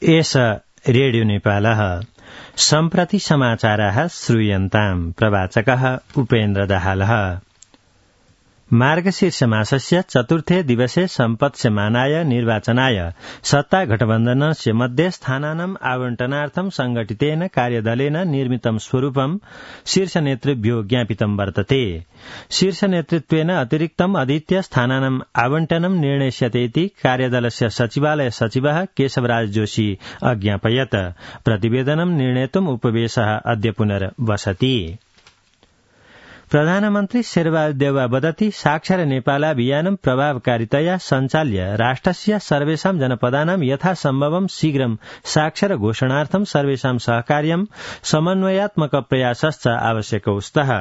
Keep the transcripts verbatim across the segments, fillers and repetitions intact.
एष रेडियो नेपालः सम्प्रति समाचाराः श्रूयन्ताम् प्रवाचकः उपेन्द्र दाहालः। मार्गशीर्ष मासस्य चतुर्थे दिवसे सम्पत्स्यमानाय निर्वाचनाय सत्ता गठबन्धनस्य मध्ये स्थानानाम् आवण्टनार्थं संगठितेन कार्यदलेन निर्मितं स्वरूपं शीर्ष नेतृभ्यो ज्ञापितं वर्तते। शीर्ष नेतृत्वेन अतिरिक्तम् अधीत्य स्थानानाम् आवण्टनं निर्णेष्यते कार्यदलस्य सचिवालय सचिवः केशवराज जोशी अज्ञापयत्। प्रतिवेदनं निर्णेतुम् उपवेशः अद्य पुनर्वसति। प्रधानमन्त्री शेरबहादुर देउवा वदति साक्षर नेपाल अभियानं प्रभावकारितया सञ्चाल्य राष्ट्रस्य सर्वेषां जनपदानां यथासम्भवं शीघ्रं साक्षर घोषणार्थं सर्वेषां सहकार्यं समन्वयात्मक प्रयासश्च आवश्यकौ स्तः।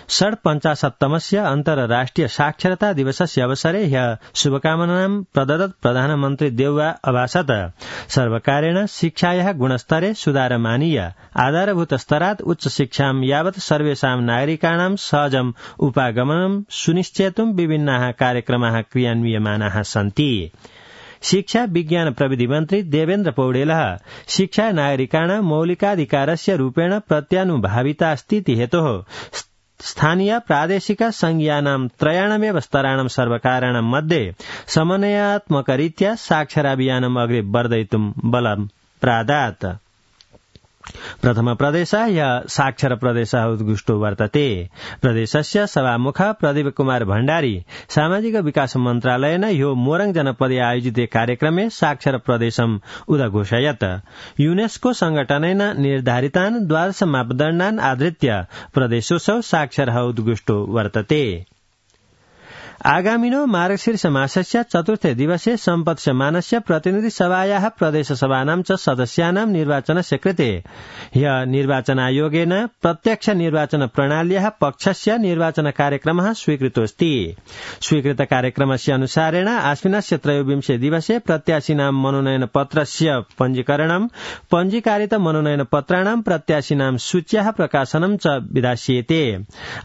षड्पञ्चाशत्तमस्य अन्तर्राष्ट्रिय साक्षरता दिवसस्य अवसरे ह्यः शुभकामनां प्रदत्त प्रधानमन्त्री देउवा अभाषत सर्वकारेण शिक्षायाः गुणस्तरे सुधारमानीय आधारभूत स्तरात् उच्च शिक्षां यावत् सर्वेषां नागरिकाणां सहजम् उपागमनं सुनिश्चेतुं विभिन्नाः कार्यक्रमाः क्रियान्वियमानाः सन्ति। शिक्षा विज्ञान प्रविधि मन्त्री देवेन्द्र पौडेलः शिक्षा नागरिकाणां मौलिकाधिकारस्य रूपेण प्रत्यानुभाविता अस्ति हेतोः स्थानीय प्रादेशिक संघीयानां त्रयाणामेव स्तराणां सर्वकाराणां मध्ये समन्वयात्मकरीत्या साक्षराभियानम् अग्रे वर्धयितुं बलं प्रादात्। प्रथम प्रदेशः यः साक्षर प्रदेशः उत्कृष्टो वर्तते। प्रदेशस्य सभामुख प्रदीप कुमार भण्डारी सामाजिक विकास मन्त्रालयेन ह्यो मोरङ जनपदे आयोजिते कार्यक्रमे साक्षर प्रदेशम् उदघोषयत्। युनेस्को संघटनेन निर्धारितान् द्वादश मापदण्डान् आधृत्य प्रदेशोऽसौ साक्षरः उत्कृष्टो वर्तते। आगामिनो मार्गशीर्ष मासस्य चतुर्थे दिवसे सम्पत्स्यमानस्य प्रतिनिधि सभायाः प्रदेश सभानां च सदस्यानां निर्वाचनस्य कृते ह्यः निर्वाचनायोगेन प्रत्यक्ष निर्वाचन प्रणाल्याः पक्षस्य निर्वाचन कार्यक्रमः स्वीकृतोऽस्ति। स्वीकृत कार्यक्रमस्य अनुसारेण आश्विनस्य त्रयोविंशे दिवसे प्रत्याशिनां मनोनयन पत्रस्य पञ्जीकरणं पञ्जीकारित मनोनयन पत्राणां प्रत्याशिनां सूच्याः प्रकाशनं च विधास्येते।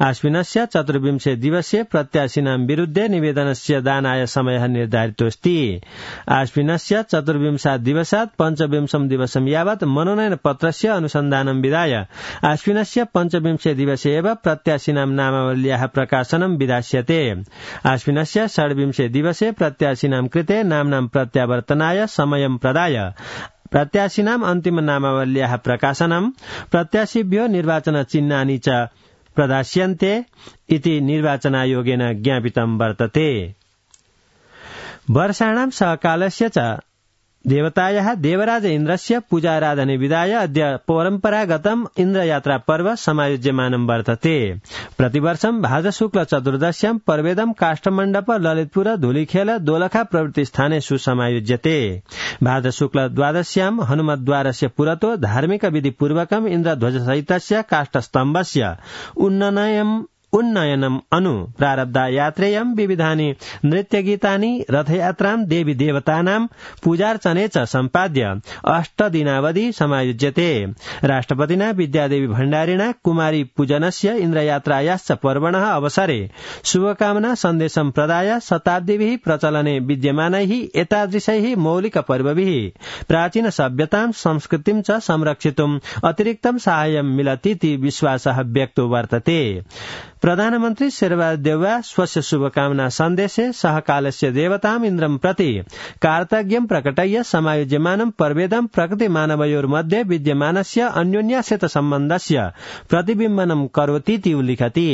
आश्विनस्य चतुर्विंशे दिवसे प्रत्याशिनां विरुद्ध निवेदनस्य दानाय समयः निर्धारितोऽस्ति। आश्विनस्य चतुर्विंशात् दिवसात् पञ्चविंशं दिवसं यावत् मनोनयन पत्रस्य अनुसन्धानं विधाय आश्विनस्य पञ्चविंशे दिवसे एव प्रत्याशिनां नामावल्याः प्रकाशनं विधास्यते। आश्विनस्य षड्विंशे दिवसे प्रत्याशिनां कृते नाम्नां प्रत्यावर्तनाय समयं प्रदाय प्रत्याशिनां अन्तिम नामावल्याः प्रकाशनं प्रत्याशिभ्यो निर्वाचन चिह्नानि च प्रदास्यन्ते इति निर्वाचनायोगेन ज्ञापितं वर्तते। वर्षाणां सहकालस्य च देवतायाः देवराज इन्द्रस्य पूजाराधने विधाय अद्य परम्परागतम् इन्द्रयात्रा पर्व समायोज्यमानं वर्तते। प्रतिवर्षं भाद्रशुक्ल चतुर्दश्यां पर्वेदं काष्ठमण्डप ललितपुर धूलिखेल दोलखा प्रभृति स्थानेषु समायोज्यते। भाद्रशुक्ल द्वादश्यां हनुमद्वारस्य पुरतो धार्मिक विधि पूर्वकम् इन्द्रध्वजसहितस्य काष्ठस्तम्भस्य उन्नयनम् उन्नयनम् अनु प्रारब्धा यात्रेयं विविधानि नृत्यगीतानि रथयात्रां देवी देवतानां पूजार्चने च सम्पाद्य अष्टदिनावधि समायोज्यते। राष्ट्रपतिना विद्यादेवी भण्डारिणा कुमारी पूजनस्य इन्द्रयात्रायाश्च पर्वणः अवसरे शुभकामना सन्देशं प्रदाय शताब्दीभिः प्रचलने विद्यमानैः एतादृशैः मौलिक पर्वभिः प्राचीन सभ्यतां संस्कृतिं च संरक्षितुम् अतिरिक्तं साहाय्यं मिलतीति विश्वासः व्यक्तो वर्तते। प्रधानमन्त्री शेरबहादुर देउवा स्वस्य शुभकामना सन्देशे सहकालस्य देवताम् इन्द्रं प्रति कार्तज्ञं प्रकटय्य समायोज्यमानं पर्वेदं प्रकृति मानवयोर्मध्ये विद्यमानस्य अन्योन्याश्रित सम्बन्धस्य प्रतिबिम्बनं करोतीति उल्लिखति।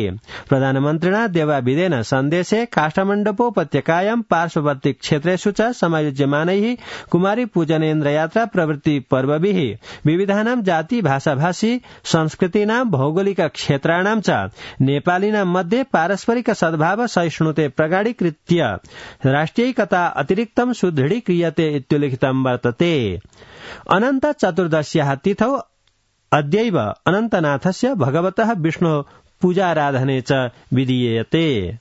प्रधानमन्त्रिणा देवाभिधेन सन्देशे काष्ठमण्डपोपत्यकायां पार्श्ववर्ती क्षेत्रेषु च समायोज्यमानैः कुमारी पूजनेन्द्रयात्रा प्रभृति पर्वभिः विविधानां जाति भाषाभाषी संस्कृतीनां भौगोलिक क्षेत्राणां च नेपालिनां मध्ये पारस्परिक सद्भाव सहिष्णुते प्रगाढीकृत्य राष्ट्रियैकता अतिरिक्तं सुदृढीक्रियते इत्युल्लिखितं वर्तते। अनन्त चतुर्दश्याः तिथौ अद्यैव अनन्तनाथस्य भगवतः विष्णोः पूजाराधने च विधीयते।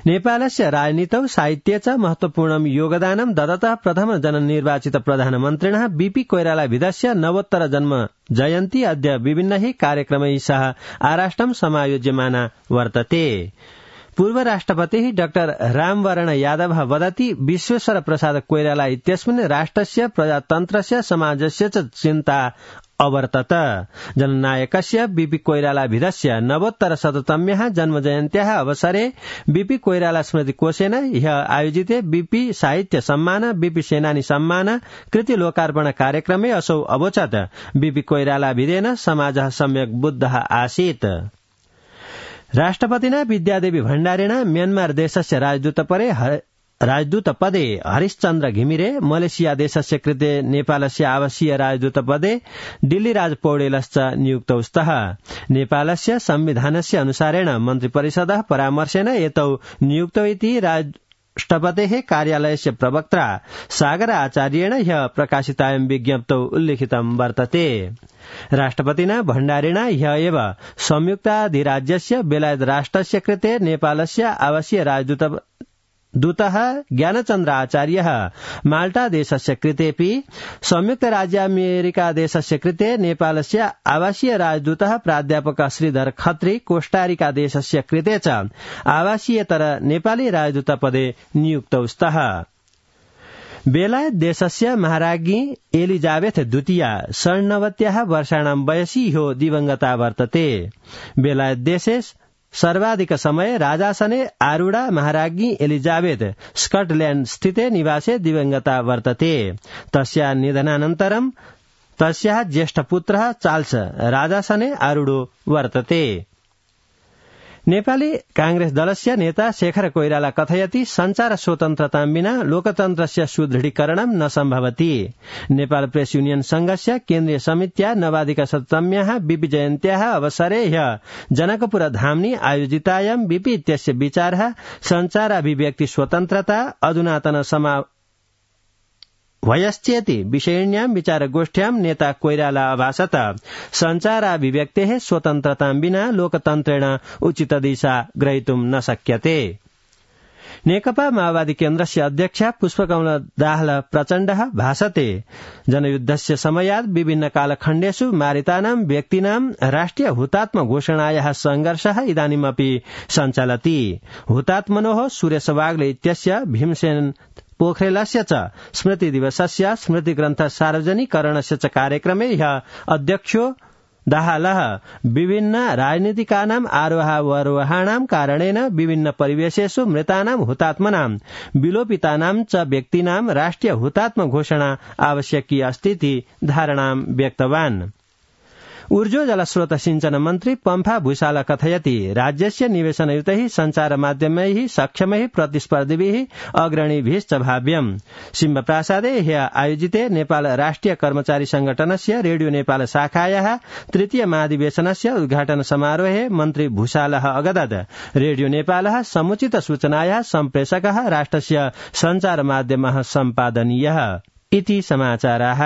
नेपालस्य राजनीतौ साहित्ये च महत्वपूर्णं योगदानं ददतः प्रथम जननिर्वाचित प्रधानमन्त्रिणः बीपी कोइरालाभिधस्य नवोत्तर जन्म जयन्ती अद्य विभिन्नैः कार्यक्रमैः सह आराष्ट्रं समायोज्यमाना वर्तते। पूर्व राष्ट्रपतिः डाक्टर रामवरण यादवः वदति विश्वेश्वर प्रसाद कोइराला इत्यस्मिन् राष्ट्रस्य प्रजातन्त्रस्य समाजस्य च चिन्ता अवर्तत। जननायकस्य बीपी कोइरालाभिधस्य नवोत्तरशततम्याः जन्मजयन्त्याः अवसरे बीपी कोइराला स्मृतिकोशेन ह्यः आयोजिते बीपी साहित्य सम्मान बीपी सेनानी सम्मान कृति लोकार्पण कार्यक्रमे असौ अवोचत् बीपी कोइरालाभिधेन समाजः सम्यक् बुद्धः आसीत्। राष्ट्रपतिना विद्यादेवी भण्डारिणा म्यानमार देशस्य राजदूतपरे राजदूतपदे हरिश्चन्द्र घिमिरे, मलेशिया देशस्य कृते नेपालस्य आवासीय राजदूतपदे दिल्लीराज पौडेलश्च नियुक्तौ स्तः। नेपालस्य संविधानस्य अनुसारेण मन्त्रिपरिषदः परामर्शेन एतौ नियुक्तौ इति राष्ट्रपतेः कार्यालयस्य प्रवक्त्रा सागर आचार्येण ह्यः प्रकाशितायां विज्ञप्तौ उल्लिखितं वर्तते। राष्ट्रपतिना भण्डारिणा ह्यः एव संयुक्ताधिराज्यस्य बेलायत राष्ट्रस्य कृते नेपालस्य आवासीय राजदूत दूतः ज्ञानचन्द्र आचार्यः, माल्टा देशस्य कृतेऽपि संयुक्त राज्य अमेरिका देशस्य कृते नेपालस्य आवासीय राजदूतः प्राध्यापक श्रीधर खत्री, कोष्टारिका देशस्य कृते च आवासीयतर नेपाली राजदूतपदे नियुक्तौ स्तः। बेलायत देशस्य महाराज्ञी एलिजाबेथ द्वितीया षण्णवत्याः वर्षाणां वयसि ह्यो दिवंगता वर्तते। बेलायत देशे सर्वाधिक समय राजासने आरूढा महाराज्ञी एलिजाबेथ स्कटल्याण्ड स्थिते निवासे दिवंगता वर्तते। तस्या निधनानन्तरं तस्याः ज्येष्ठ पुत्रः चार्ल्स राजासने आरूढो वर्तते। नेपाली कांग्रेस दलस्य नेता शेखर कोइराला कथयति संचार स्वतन्त्रतां विना लोकतन्त्रस्य सुदृढीकरणं न सम्भवति। नेपाल प्रेस युनियन संघस्य केन्द्रीय समित्या नवाधिक शततम्याः बीपी जयन्त्याः अवसरे ह्यः जनकपुर धाम्नि आयोजितायां बीपी इत्यस्य विचारः संचाराभिव्यक्ति स्वतन्त्रता अधुनातन समा वयश्चेति विषयिण्यां विचारगोष्ठ्यां नेता कोइराला अभाषत संचाराभिव्यक्तेः स्वतन्त्रतां विना लोकतन्त्रेण उचित दिशा ग्रहीतुं न शक्यते। नेकपा माओवादी केन्द्रस्य अध्यक्षा पुष्पकमल दाहाल प्रचण्डः भाषते जनयुद्धस्य समयात् विभिन्न कालखण्डेषु मारितानां व्यक्तीनां राष्ट्रिय हुतात्म घोषणायाः संघर्षः इदानीमपि सञ्चलति। हुतात्मनोः सुरेश वाग्ले इत्यस्य भीमसेन पोखरेलस्य च स्मृति दिवसस्य स्मृति ग्रन्थ सार्वजनिकरणस्य च कार्यक्रमे ह्यः अध्यक्षो दाहालः विभिन्न राजनीतिकानाम् आरोहावरोहाणां कारणेन विभिन्न परिवेशेषु मृतानां हुतात्मनां विलोपितानां च व्यक्तीनां राष्ट्रिय हुतात्म घोषणा आवश्यकी अस्तीति धारणां व्यक्तवान्। ऊर्जो जलस्रोत सिंचन मन्त्री पम्फा भूषाल कथयति राज्यस्य निवेशनयुतैः सञ्चारमाध्यमैः सक्षमैः प्रतिस्पर्धिभिः अग्रणीभिश्च भाव्यम्। सिंहप्रासादे ह्यः आयोजिते नेपाल राष्ट्रिय कर्मचारी संगठनस्य रेडियो नेपाल शाखायाः तृतीय महाधिवेशनस्य उद्घाटन समारोहे मन्त्री भूषालः अगदत् रेडियो नेपालः समुचित सूचनायाः सम्प्रेषकः राष्ट्रस्य सञ्चारमाध्यमः सम्पादनीयः इति समाचाराः।